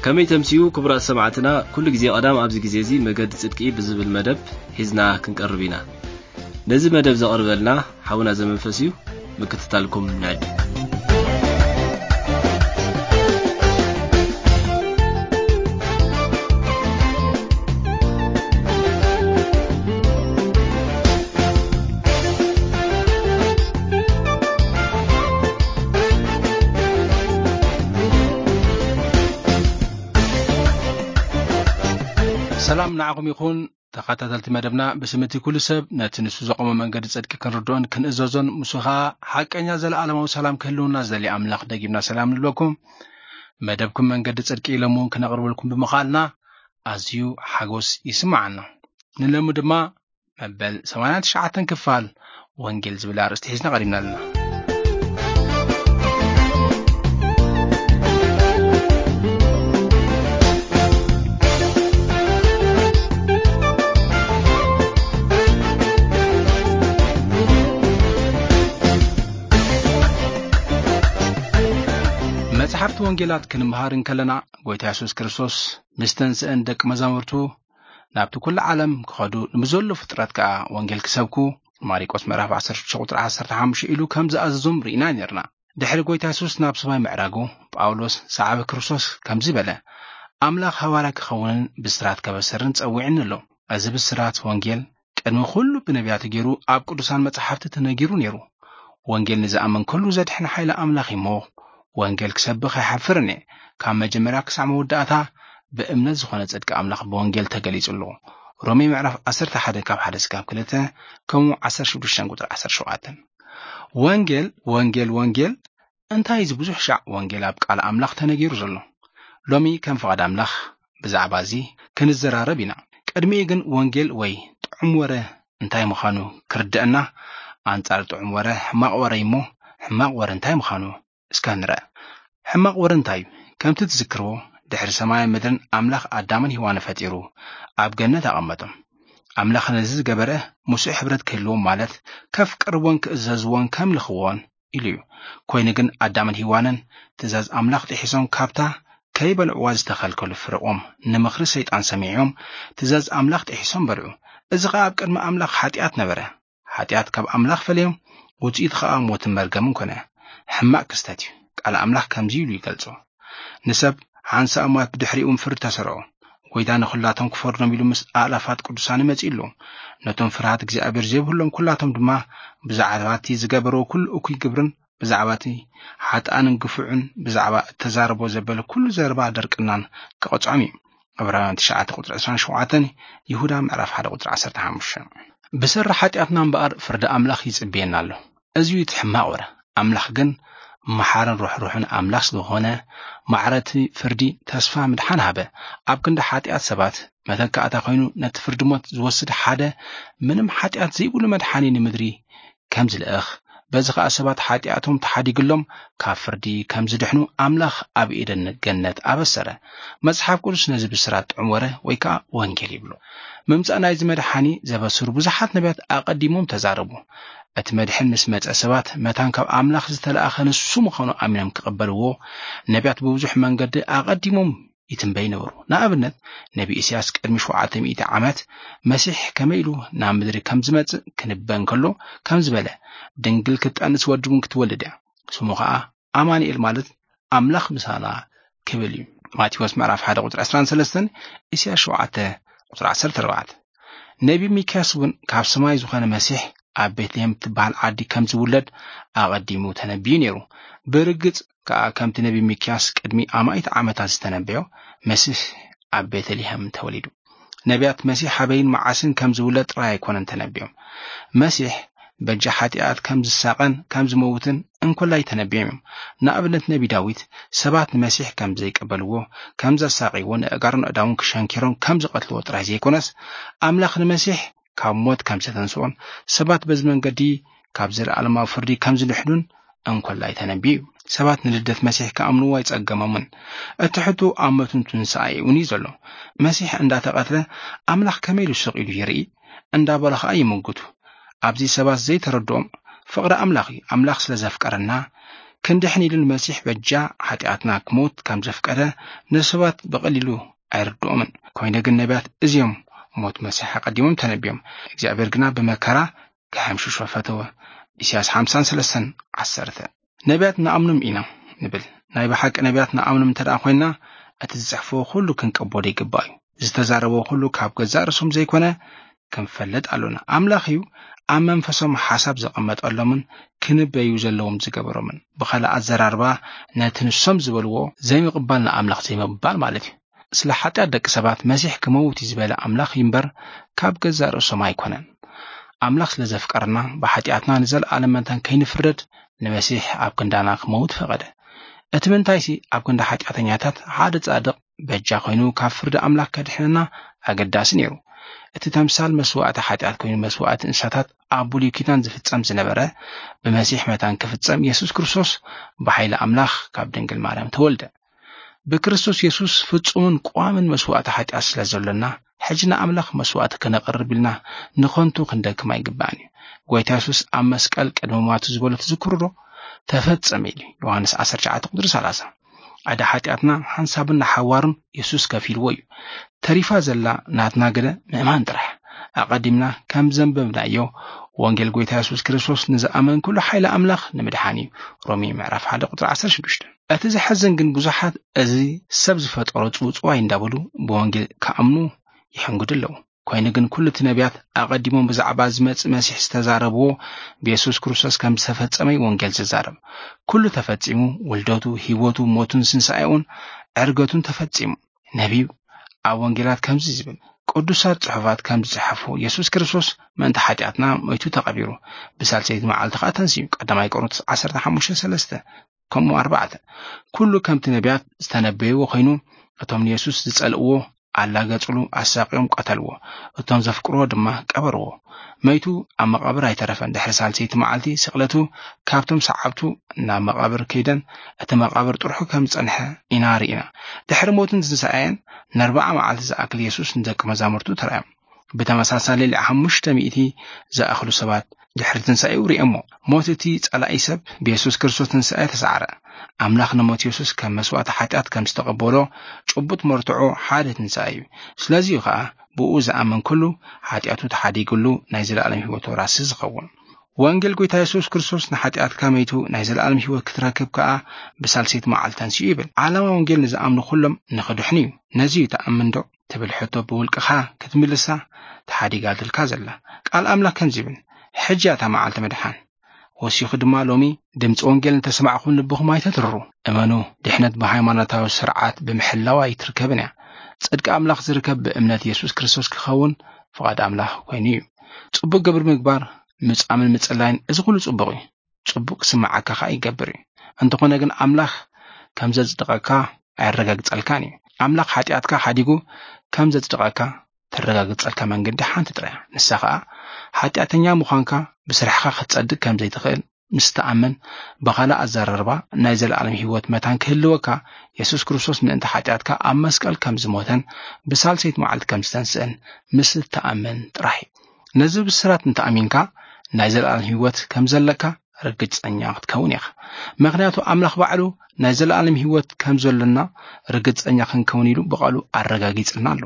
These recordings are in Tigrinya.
ከመይ ተምስዩ ክቡራት ሰማዕትና፣ ኩሉ ግዜ ቀዳም ኣብዚ ግዜ እዚ መገዲ ጽድቂ ብዝብል መደብ ሒዝና ክንቀርብ ኢና። ነዚ መደብ ዘቕርበልና ሓውና ዘመንፈስ እዩ። ምክትታልኩም ንዕድም። ሰላም ንዓኹም ይኹን። ተኸታተልቲ መደብና፣ ብስም እቲ ኩሉ ሰብ ነቲ ንሱ ዘቆመ መንገዲ ጽድቂ ክንርድኦን ክንእዘዞን፣ ንሱ ኸኣ ሓቀኛ ዘለኣለማዊ ሰላም ክህልውና ዝደሊ ኣምላኽ ደጊምና ሰላም ንብለኩም። መደብኩም መንገዲ ጽድቂ ኢሎም እውን ክነቕርበልኩም ብምኽኣልና ኣዝዩ ሓጎስ ይስምዓና። ንለሚ ድማ መበል ሰማንያን ትሽዓተን ክፋል ወንጌል ዝብል ኣርእስቲ ሒዝና ቀሪብና ኣለና። መጽሓፍቲ ወንጌላት ክንምሃር እንከለና፣ ጎይታ የሱስ ክርስቶስ ምስ ተንስአን ደቂ መዛሙርቱ ናብቲ ኩሉ ዓለም ክኸዱ ንብዘሎ ፍጥረት ከኣ ወንጌል ክሰብኩ፣ ማሪቆስ ምዕራፍ ዓሰርተ ሽዱሽተ ቁጽሪ ዓሰርተ ሓሙሽተ ኢሉ ከም ዝኣዘዞም ርኢና ኔርና። ድሕሪ ጎይታ የሱስ ናብ ሰማይ ምዕራጉ፣ ጳውሎስ ሰዓቢ ክርስቶስ ከምዚ በለ፣ ኣምላኽ ሃዋርያ ክኸውንን ብስራት ከበስርን ጸዊዕኒ ኣሎ። እዚ ብስራት ወንጌል ቅድሚ ኩሉ ብነቢያት ገይሩ ኣብ ቅዱሳን መጻሕፍቲ ተነጊሩ ነይሩ። ወንጌል ንዝኣምን ኩሉ ዘድሕን ሓይሊ ኣምላኽ እዩ እሞ፣ ወንጌል ክሰብኽ ኣይሓፍርን እየ። ካብ መጀመርያ ክሳዕ መወዳእታ ብእምነት ዝኾነ ጽድቂ ኣምላኽ ብወንጌል ተገሊጹ ኣሎ። ሮሜ ምዕራፍ ዓሰርተ ሓደ ካብ ሓደ ስጋብ ክልተ፣ ከምኡ ዓሰርተ ሽዱሽተ ቁጽሪ ዓሰርተ ሸውዓተ። ወንጌል፣ ወንጌል፣ ወንጌል፣ እንታይ እዚ ብዙሕ ሻዕ ወንጌል ኣብ ቃል ኣምላኽ ተነጊሩ ዘሎ? ሎሚ ከም ፍቓድ ኣምላኽ ብዛዕባ እዚ ክንዘራረብ ኢና። ቅድሚኡ ግን ወንጌል ወይ ጥዑም ወረ እንታይ ምዃኑ ክርድአና፣ ኣንጻር ጥዑም ወረ ሕማቕ ወረ እዩ እሞ፣ ሕማቕ ወረ እንታይ ምዃኑ እስከ ንርአ። ሕማቕ ወረ እንታይ እዩ? ከምቲ ትዝክርዎ፣ ድሕሪ ሰማይን ምድርን ኣምላኽ ኣዳምን ሄዋንን ፈጢሩ ኣብ ገነት ኣቐመጦም። ኣምላኽ ነዚ ዝገበረ ምስኡ ሕብረት ክህልዎም፣ ማለት ከፍቅርዎን ክእዘዝዎን ከምልኽዎን ኢሉ እዩ። ኮይኑ ግን ኣዳምን ሄዋንን ትእዛዝ ኣምላኽ ጥሒሶም፣ ካብታ ከይበልዕዋ ዝተኸልከሉ ፍርቖም ንምኽሪ ሰይጣን ሰሚዖም ትእዛዝ ኣምላኽ ጥሒሶም በልዑ። እዚ ኸኣ ኣብ ቅድሚ ኣምላኽ ሓጢኣት ነበረ። ሓጢኣት ካብ ኣምላኽ ፈለዮም፣ ውጽኢቱ ኸኣ ሞትን መርገምን ኮነ። ሕማቕ ክስተት እዩ። ቃል ኣምላኽ ከምዚ ኢሉ ይገልጾ፣ "ንሰብ ሓንሳእ ሞት፣ ብድሕሪኡ እውን ፍርዲ ተሰርዖ። ጎይታ ንኹላቶም ክፈርዶም ኢሉ ምስ ኣእላፋት ቅዱሳን መጺኡ ኣሎ። ነቶም ፍርሃት እግዚኣብሔር ዘይብሎም ኩላቶም ድማ ብዛዕባ እቲ ዝገበርዎ ኩሉ እኩይ ግብርን ብዛዕባ እቲ ሓጥኣንን ግፉዕን ብዛዕባ እተዛረቦ ዘበለ ኩሉ ዘረባ ድርቅናን ክቐጽዖም እዩ።" ዕብራውያን ትሽዓተ ቁጽሪ ዕስራን ሸውዓተን፣ ይሁዳ ምዕራፍ ሓደ ቁጽሪ ዓሰርተ ሓሙሽተ። ብሰሪ ሓጢኣትና እምበኣር ፍርዲ ኣምላኽ ይጽበየና ኣሎ። እዚ እዩ እቲ ሕማቕ ወረ። ኣምላኽ ግን መሓርን ርሕሩሕን ኣምላኽ ስለዝኾነ፣ ማዕረቲ ፍርዲ ተስፋ ምድሓን ሃበ። ኣብ ክንዲ ሓጢኣት ሰባት መተካእታ ኮይኑ ነቲ ፍርዲ ሞት ዝወስድ ሓደ ምንም ሓጢኣት ዘይብሉ መድሓኒ ንምድሪ ከም ዝልእኽ፣ በዚ ኸኣ ሰባት ሓጢኣቶም ተሓዲግሎም ካብ ፍርዲ ከም ዝድሕኑ ኣምላኽ ኣብ ኤደን ገነት ኣበሰረ። መጽሓፍ ቅዱስ ነዚ ብስራት ጥዑም ወረ ወይ ከኣ ወንጌል ይብሎ። ምምጻእ ናይዚ መድሓኒ ዘበስሩ ብዙሓት ነቢያት ኣቐዲሞም ተዛረቡ። እቲ መድሕን ምስ መጸ ሰባት መታን ካብ ኣምላኽ ዝተላእኸ ንሱ ምዃኑ ኣሚኖም ክቕበልዎ ነቢያት ብብዙሕ መንገዲ ኣቐዲሞም ይትንበይ ነበሩ። ንኣብነት ነቢ ኢሳያስ ቅድሚ ሸውዓተ ሚእቲ ዓመት መሲሕ ከመይ ኢሉ ናብ ምድሪ ከም ዝመጽእ ክንበ እንከሎ ከም ዝበለ፣ "ድንግል ክትጠንስ ወዲ እውን ክትወልድ እያ፣ ስሙ ኸኣ ኣማኑኤል ማለት ኣምላኽ ምሳና ክብል እዩ።" ማቴዎስ ምዕራፍ ሓደ ቁጽሪ ዕስራን ሰለስተን፣ ኢሳያስ ሸውዓተ ቁጽሪ ዓሰርተ ኣርባዕተ። ነቢ ሚክያስ እውን ካብ ሰማይ ዝኾነ መሲሕ ኣብ ቤትልሔም ትበሃል ዓዲ ከም ዝውለድ ኣቐዲሙ ተነቢዩ ነይሩ። ብርግጽ ከኣ ከምቲ ነቢ ሚክያስ ቅድሚ ኣማኢት ዓመታት ዝተነበዮ፣ መሲሕ ኣብ ቤተልሔም ተወሊዱ። ነቢያት መሲሕ ኣበይን መዓስን ከም ዝውለድ ጥራይ ኣይኮነን ተነቢዮም። መሲሕ በጃ ሓጢኣት ከም ዝሳቐን ከም ዝመውትን እንኮላይ ተነቢዮም እዮም። ንኣብነት ነቢ ዳዊት ሰባት ንመሲሕ ከም ዘይቀበልዎ፣ ከም ዘሳቕይዎ፣ ንእጋሩን ኣእዳውን ክሸንኪሮም ከም ዝቐትልዎ ጥራይ ዘይኮነስ፣ ኣምላኽ ንመሲሕ ካብ ሞት ከም ዘተንስኦን ሰባት በዚ መንገዲ ካብ ዘለኣለማዊ ፍርዲ ከም ዝድሕኑን እንኮላይ ተነቢዩ እዩ። ሰባት ንልደት መሲሕ ክኣምንዎ ኣይጸገሞምን። እቲ ሕቶ ኣብ ሞትን ትንሳኤ እውን እዩ ዘሎ። መሲሕ እንዳተቐትለ ኣምላኽ ከመይ ኢሉ ስቕ ኢሉ ይርኢ? እንዳበሉ ኸኣ ይምጉቱ። ኣብዚ ሰባት ዘይተረድኦም ፍቕሪ ኣምላኽ እዩ። ኣምላኽ ስለ ዘፍቀረና ክንድሕን ኢሉ ንመሲሕ በጃ ሓጢኣትና ክሞት ከም ዘፍቀደ ንሰባት ብቐሊሉ ኣይርድኦምን። ኮይነ ግን ነቢያት እዚኦም ሞት መሲሕ ኣቐዲሞም ተነቢዮም። እግዚኣብሔር ግና ብመከራ ክሕምሽሾ ፈተወ። ኢሳያስ ሓምሳን ሰለስተን ዓሰርተ። ነቢያት ንኣምኖም ኢና ንብል። ናይ ብሓቂ ነቢያት ንኣምኖም እንተ ደኣ ኮይንና፣ እቲ ዝጽሕፍዎ ኩሉ ክንቀበሎ ይግባእ እዩ። ዝተዛረብዎ ኩሉ ካብ ገዛእ ርእሶም ዘይኮነ ክንፈልጥ ኣሎና። ኣምላኽ እዩ ኣብ መንፈሶም ሓሳብ ዘቐመጠሎምን ክንበዩ ዘለዎም ዝገበሮምን። ብኻልእ ኣዘራርባ፣ ነቲ ንሶም ዝበልዎ ዘይምቕባል ንኣምላኽ ዘይምቕባል ማለት እዩ። ስለ ሓጢኣት ደቂ ሰባት መሲሕ ክመውት እዩ ዝበለ ኣምላኽ እዩ እምበር፣ ካብ ገዛእ ርእሶም ኣይኮነን። ኣምላኽ ስለ ዘፍቀረና፣ ብሓጢኣትና ንዘለኣለም መታን ከይንፍረድ ንመሲሕ ኣብ ክንዳና ክመውት ፈቐደ። እቲ ምንታይሲ፣ ኣብ ክንዲ ሓጢኣተኛታት ሓደ ጻድቕ በጃ ኮይኑ ካብ ፍርዲ ኣምላኽ ከድሕነና ኣገዳሲ ነይሩ። እቲ ተምሳል መስዋእቲ ሓጢኣት ኮይኑ መስዋእቲ እንስሳታት ኣብ ብሉይ ኪዳን ዝፍጸም ዝነበረ፣ ብመሲሕ መታን ክፍጸም የሱስ ክርስቶስ ብሓይሊ ኣምላኽ ካብ ድንግል ማርያም ተወልደ። ብክርስቶስ የሱስ ፍጹምን ቋምን መስዋእቲ ሓጢኣት ስለ ዘሎና፣ ሕጂ ንኣምላኽ መስዋእቲ ከነቕርብ ኢልና ንኸንቱ ክንደክም ኣይግባእን እዩ። ጎይታ የሱስ ኣብ መስቀል ቅድሚ ሟቱ ዝበሎ ትዝክሩ ዶ? "ተፈጸመ" ኢሉ። ዮሃንስ ዓሰርተ ትሽዓተ ቁጽሪ ሰላሳ። ዕዳ ሓጢኣትና ሓንሳብን ንሓዋሩን የሱስ ከፊልዎ እዩ። ተሪፋ ዘላ ናትና ግደ ምእማን ጥራሕ። ኣቐዲምና ከም ዘንበብናዮ፣ ወንጌል ጎይታ የሱስ ክርስቶስ ንዝኣመን ኩሉ ሓይሊ ኣምላኽ ንምድሓን እዩ። ሮሜ ምዕራፍ ሓደ ቁጽሪ ዓሰርተ ሽዱሽተ። እቲ ዘሐዝን ግን ብዙሓት እዚ ሰብ ዝፈጠሮ ጽውጽዋይ እንዳበሉ ብወንጌል ክኣምኑ ይሕንግዱ ኣለዉ። ኮይኑ ግን ኩሉ እቲ ነቢያት ኣቐዲሞም ብዛዕባ ዝመጽእ መሲሕ ዝተዛረብዎ ብየሱስ ክርስቶስ ከም ዝተፈጸመ እዩ ወንጌል ዝዛረብ። ኩሉ ተፈጺሙ፣ ውልደቱ፣ ህይወቱ፣ ሞቱን ስንሳኤኡን ዕርገቱን ተፈጺሙ። ነቢዩ ኣብ ወንጌላት ከምዚ ዝብል፣ ቅዱሳት ጽሑፋት ከም ዝጽሐፉ፣ የሱስ ክርስቶስ ምእንቲ ሓጢኣትና ሞይቱ ተቐቢሩ፣ ብሳልሰይቲ መዓልቲ ኸኣ ተንሲኡ። ቀዳማይ ቆሮንቶስ ዓሰርተ ሓሙሽተ ሰለስተ፣ ከምኡ ኣርባዕተ። ኩሉ ከምቲ ነቢያት ዝተነበይዎ ኮይኑ፣ እቶም ንየሱስ ዝጸልእዎ ኣላገጽሉ፣ ኣሳቕዮም ቀተልዎ። እቶም ዘፍቅርዎ ድማ ቀበርዎ። መይቱ ኣብ መቓብር ኣይተረፈን። ድሕሪ ሳልሰይቲ መዓልቲ ስቕለቱ ካብቶም ሰዓብቱ ናብ መቓብር ከይደን፣ እቲ መቓብር ጥርሑ ከም ዝጸንሐ ኢና ርኢና። ድሕሪ ሞትን ትንሳኤን ንኣርብዓ መዓልቲ ዝኣክል የሱስ ንደቂ መዛሙርቱ ተራእዮም። ብተመሳሳሊ ልዕሊ ሓሙሽተ ሚእቲ ዝኣኽሉ ሰባት ድሕሪ ትንሳኤኡ ርእዮሞ። ሞት እቲ ጸላኢ ሰብ ብየሱስ ክርስቶስ ትንሳኤ ተሳዕረ። ኣምላኽ ንሞት የሱስ ከም መስዋእቲ ሓጢኣት ከም ዝተቐበሎ ጭቡጥ መርትዖ ሓደ ትንሳኤ እዩ። ስለዚ እዩ ኸኣ ብኡ ዝኣምን ኩሉ ሓጢኣቱ ተሓዲግሉ ናይ ዘለኣለም ህይወት ወራሲ ዝኸውን። ወንጌል ጎይታ የሱስ ክርስቶስ ንሓጢኣትካ መይቱ ናይ ዘለኣለም ህይወት ክትረክብ ከኣ ብሳልሰይቲ መዓልቲ ተንሲኡ ይብል። ዓላማ ወንጌል ንዝኣምኑ ኩሎም ንኽድሕኑ እዩ። ነዚ እዩ ትኣምን ዶ? ትብል ሕቶ ብውልቅኻ ክትምልሳ ተሓዲጋትልካ ዘላ። ቃል ኣምላኽ ከምዚ ይብል፣ "ሕጂ እያ እታ መዓልቲ ምድሓን። ወሲኹ ድማ ሎሚ ድምፂ ወንጌል እንተሰማዕኹም ልብኹም ኣይተትርሩ። እመኑ፣ ድሕነት ብሃይማኖታዊ ስርዓት ብምሕላው ኣይትርከብን እያ። ጽድቂ ኣምላኽ ዝርከብ ብእምነት የሱስ ክርስቶስ ክኸውን ፍቓድ ኣምላኽ ኮይኑ እዩ።" ጽቡቕ ግብሪ ምግባር፣ ምጻምን ምጽላይን፣ እዚ ኩሉ ጽቡቕ እዩ። ጽቡቕ ክስምዓካ ኸኣ ይገብር እዩ። እንተኾነ ግን ኣምላኽ ከም ዘጽድቐካ ኣየረጋግጸልካን እዩ። ኣምላኽ ሓጢኣትካ ሓዲጉ ከም ዘጽድቐካ ተረጋግጸልካ መንገዲ ሓንቲ ጥራይ እያ። ንሳ ኸኣ ሓጢኣተኛ ምዃንካ ብስራሕኻ ክትጸድቕ ከም ዘይትኽእል ምስ ትኣምን፣ ብኻልእ ኣዘራርባ ናይ ዘለኣለም ህይወት መታን ክህልወካ፣ የሱስ ክርስቶስ ምእንቲ ሓጢኣትካ ኣብ መስቀል ከም ዝሞተን ብሳልሰይቲ መዓልቲ ከም ዝተንስአን ምስ ትኣምን ጥራሕ እዩ። ነዚ ብስራት እንተ ኣሚንካ፣ ናይ ዘለኣለም ህይወት ከም ዘለካ ርግጸኛ ክትከውን ኢኻ። ምኽንያቱ ኣምላኽ ባዕሉ ናይ ዘለኣለም ህይወት ከም ዘሎና ርግጸኛ ክንከውን ኢሉ ብቓሉ ኣረጋጊጽልና ኣሎ።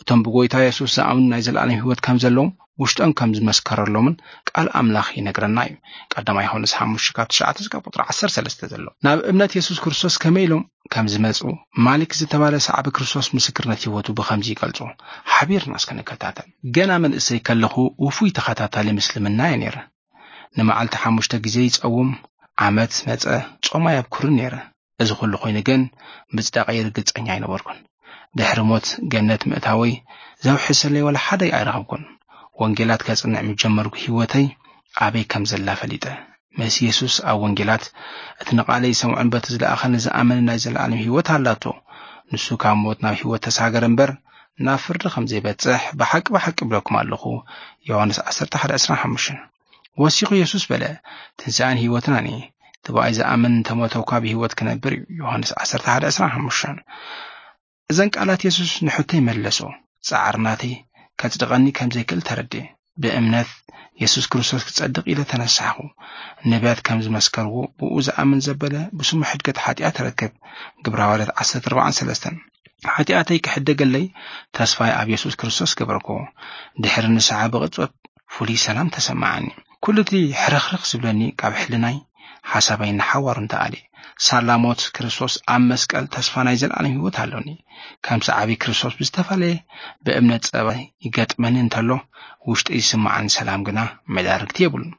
እቶም ብጎይታ የሱስ ዝኣምኑ ናይ ዘለኣለም ህይወት ከም ዘለዎም ውሽጦም ከም ዝመስከረሎምን ቃል ኣምላኽ ይነግረና እዩ። ቀዳማይ ዮሃንስ ሓሙሽተ ካብ ትሽዓተ እስካብ ቁጽሪ ዓሰርተ ሰለስተ ዘሎ። ናብ እምነት የሱስ ክርስቶስ ከመይ ኢሎም ከም ዝመጹ ማሊክ ዝተባለ ሰዓቢ ክርስቶስ ምስክርነት ህይወቱ ብኸምዚ ይገልጾ። ሓቢርና እስከ ንከታተል። ገና መንእሰይ ከለኹ ውፉይ ተኸታታሊ ምስልምና እየ ነይረ። ንመዓልቲ ሓሙሽተ ግዜ ይጸውም፣ ዓመት መጸ ጾም ኣየብኩርን ነይረ። እዚ ኩሉ ኮይኑ ግን ምጽዳቐይ ርግጸኛ ኣይነበርኩን። ድሕሪ ሞት ገነት ምእታወይ ዘውሕሰለይ ዋላ ሓደ ኣይረኸብኩን። ወንጌላት ከጽንዕ ምስ ጀመርኩ ህይወተይ ኣበይ ከም ዘላ ፈሊጠ። ምስ የሱስ ኣብ ወንጌላት እቲ ንቓለይ ዝሰምዑን በቲ ዝለኣኸኒ ዝኣመንን ናይ ዘለኣለም ህይወት ኣላቶ። ንሱ ካብ ሞት ናብ ህይወት ተሳገረ እምበር ናብ ፍርዲ ከም ዘይበጽሕ ብሓቂ ብሓቂ እብለኩም ኣለኹ። ዮሃንስ ዓሰርተ ሓደ ዕስራን ሓሙሽተን። ወሲኹ የሱስ በለ፣ "ትንሳኤን ህይወትን ኣነ እየ። እቲ ብኣይ ዝኣምን እንተ ሞተ እኳ ብህይወት ክነብር እዩ።" ዮሃንስ ዓሰርተ ሓደ ዕስራን ሓሙሽተን። እዘን ቃላት የሱስ ንሕቶይ መለሶ። ጻዕሪ ናተይ ከጽድቐኒ ከም ዘይክእል ተረድኤ። ብእምነት የሱስ ክርስቶስ ክጸድቕ ኢለ ተነሳሕኹ። ነቢያት ከም ዝመስከርዎ፣ ብኡ ዝኣምን ዘበለ ብስሙ ሕድገት ሓጢኣት ረክብ። ግብራውያን ዓሰርተ ኣርባዕን ሰለስተን። ሓጢኣተይ ክሕደገለይ ተስፋይ ኣብ የሱስ ክርስቶስ ገበርኩዎ። ድሕሪ ንስሓ ብቕጽበት ፍሉይ ሰላም ተሰማዓኒ። ኩሉ እቲ ሕርኽርኽ ዝብለኒ ካብ ሕልናይ ሓሳባይ ንሓዋሩ እንተኣሊ። ሳላ ሞት ክርስቶስ ኣብ መስቀል ተስፋ ናይ ዘለኣለም ህይወት ኣሎኒ። ከም ሰዓቢ ክርስቶስ ብዝተፈላለየ ብእምነት ጸባ ይገጥመኒ እንተሎ፣ ውሽጢ ዝስማዓኒ ሰላም ግና መዳርግቲ የብሉን።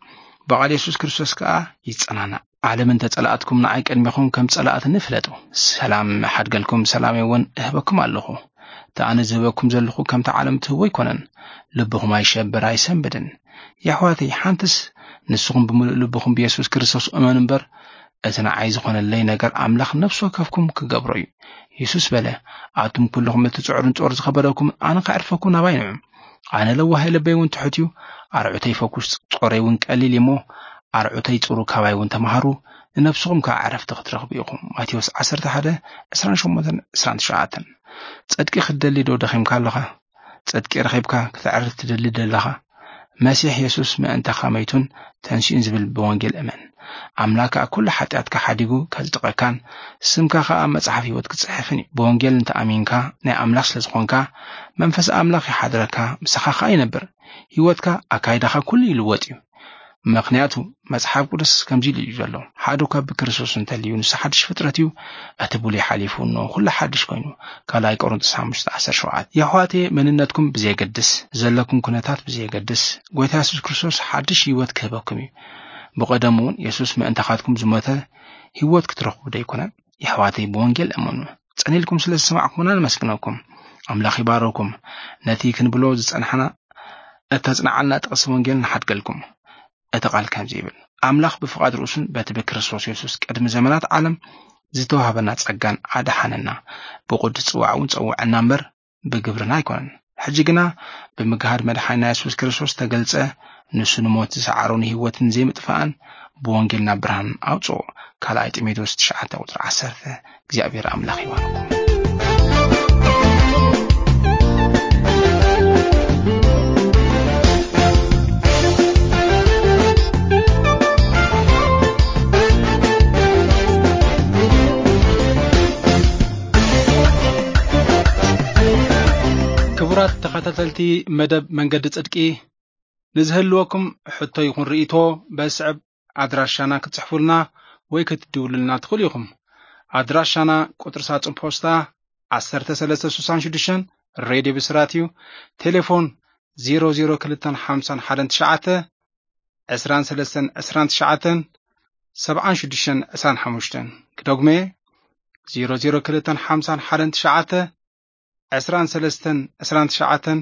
ብቓል የሱስ ክርስቶስ ከኣ ይጸናናዕ። ዓለም እንተ ጸላእትኩም ንዓይ ቅድሚኹም ከም ጸላእትኒ ፍለጡ። ሰላም እሓድገልኩም፣ ሰላመይ እውን እህበኩም ኣለኹ። እቲ ኣነ ዝህበኩም ዘለኹ ከምቲ ዓለም ትህቦ ኣይኮነን። ልብኹም ኣይሸብር ኣይሰንብድን። የሕዋተይ፣ ሓንትስ ንስኹም ብምሉእ ልብኹም ብየሱስ ክርስቶስ እመኑ እምበር፣ እቲ ንዓይ ዝኾነለይ ነገር ኣምላኽ ነፍሲ ወከፍኩም ክገብሮ እዩ። የሱስ በለ፣ ኣቱም ኩልኹም እቲ ጽዑርን ጾር ዝኸበደኩም፣ ኣነ ከዕርፈኩም ናባይ ንዑ። ኣነ ለዋህ ልበይ እውን ትሑት እዩ፣ ኣርዑተይ ፈኩስ ጾረይ እውን ቀሊል እዩ እሞ፣ ኣርዑተይ ጽሩ ካባይ እውን ተማሃሩ፣ ንነፍስኹም ከኣ ዕረፍቲ ክትረኽቡ ኢኹም። ማቴዎስ ዓሰርተ ሓደ፣ ዕስራን ሸሞንተን፣ ዕስራን ትሽዓተን። ጽድቂ ክትደሊ ዶ ደኺምካ ኣለኻ? ጽድቂ ረኺብካ ክተዕርፍ ትደሊ ደለኻ? መሲሕ የሱስ ምእንታኻ መይቱን ተንሲኡን ዝብል ብወንጌል እመን። ኣምላኽ ከኣ ኩሉ ሓጢኣትካ ሓዲጉ ከጽድቐካን ስምካ ከኣ ኣብ መጽሓፍ ህይወት ክጽሕፍን እዩ። ብወንጌል እንተ ኣሚንካ ናይ ኣምላኽ ስለ ዝኾንካ መንፈስ ኣምላኽ ይሓድረካ፣ ምሳኻ ከኣ ይነብር። ህይወትካ ኣካይዳኻ ኩሉ ይልወጥ እዩ። ምኽንያቱ መጽሓፍ ቅዱስ ከምዚ ኢሉ እዩ ዘሎ፣ ሓደ እኳ ብክርስቶስ እንተልዩ ንሱ ሓድሽ ፍጥረት እዩ፣ እቲ ብሉይ ሓሊፉ እነሆ ኩሉ ሓድሽ ኮይኑ። ካልኣይ ቆሮንቶስ ሓሙሽተ ዓሰርተ ሸውዓተ። የሕዋተየ መንነትኩም ብዘየገድስ፣ ዘለኩም ኩነታት ብዘየገድስ፣ ጎይታ የሱስ ክርስቶስ ሓድሽ ህይወት ክህበኩም እዩ። ብቐደሙ እውን የሱስ ምእንታኻትኩም ዝሞተ ህይወት ክትረኽቡ ደይኮነ? የሕዋተይ ብወንጌል እመኑ። ጸኒልኩም ስለ ዝሰማዕኩምና ነመስግነኩም። ኣምላኽ ይባረኩም። ነቲ ክንብሎ ዝጸንሓና እተጽንዓልና ጥቕሲ ወንጌል ንሓድገልኩም። እቲ ቃል ከምዚ ይብል፣ ኣምላኽ ብፍቓድ ርእሱን በቲ ብክርስቶስ የሱስ ቅድሚ ዘመናት ዓለም ዝተዋህበና ጸጋን ኣድሓነና፣ ብቕዱስ ጽዋዕ እውን ጸውዐና እምበር ብግብርና ኣይኮነን። ሕጂ ግና ብምግሃድ መድሓኒና የሱስ ክርስቶስ ተገልጸ፣ ንሱ ንሞት ዝሰዓሮ ንህይወትን ዘይምጥፋእን ብወንጌልና ብርሃን ኣውጽኦ። ካልኣይ ጢሞቴዎስ ትሽዓተ ቁጽሪ ዓሰርተ። እግዚኣብሔር ኣምላኽ ይባርኩም። ክቡራት ተኸታተልቲ መደብ መንገዲ ጽድቂ፣ ንዝህልወኩም ሕቶ ይኹን ርእይቶ በስዕብ ኣድራሻና ክትጽሕፉልና ወይ ክትድውሉልና ትኽእሉ ኢኹም። ኣድራሻና ቁጽሪ ሳጹን ፖስታ ዓሰርተ ሰለስተ ስሳን ሽዱሽተን፣ ሬድዮ ብስራት እዩ። ቴሌፎን ዜሮ ዜሮ ክልተን ሓምሳን ሓደን ትሽዓተ፣ ዕስራን ሰለስተን ዕስራን ትሽዓተን፣ ሰብዓን ሽዱሽተን ዕስራን ሓሙሽተን። ክደግሞ እየ፣ ዜሮ ዜሮ ክልተን ሓምሳን ሓደን ትሽዓተ፣ ዕስራን ሰለስተን ዕስራን ትሽዓተን፣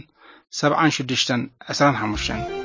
ሰብዓን ሽዱሽተን ዕስራን ሓሙሽተን።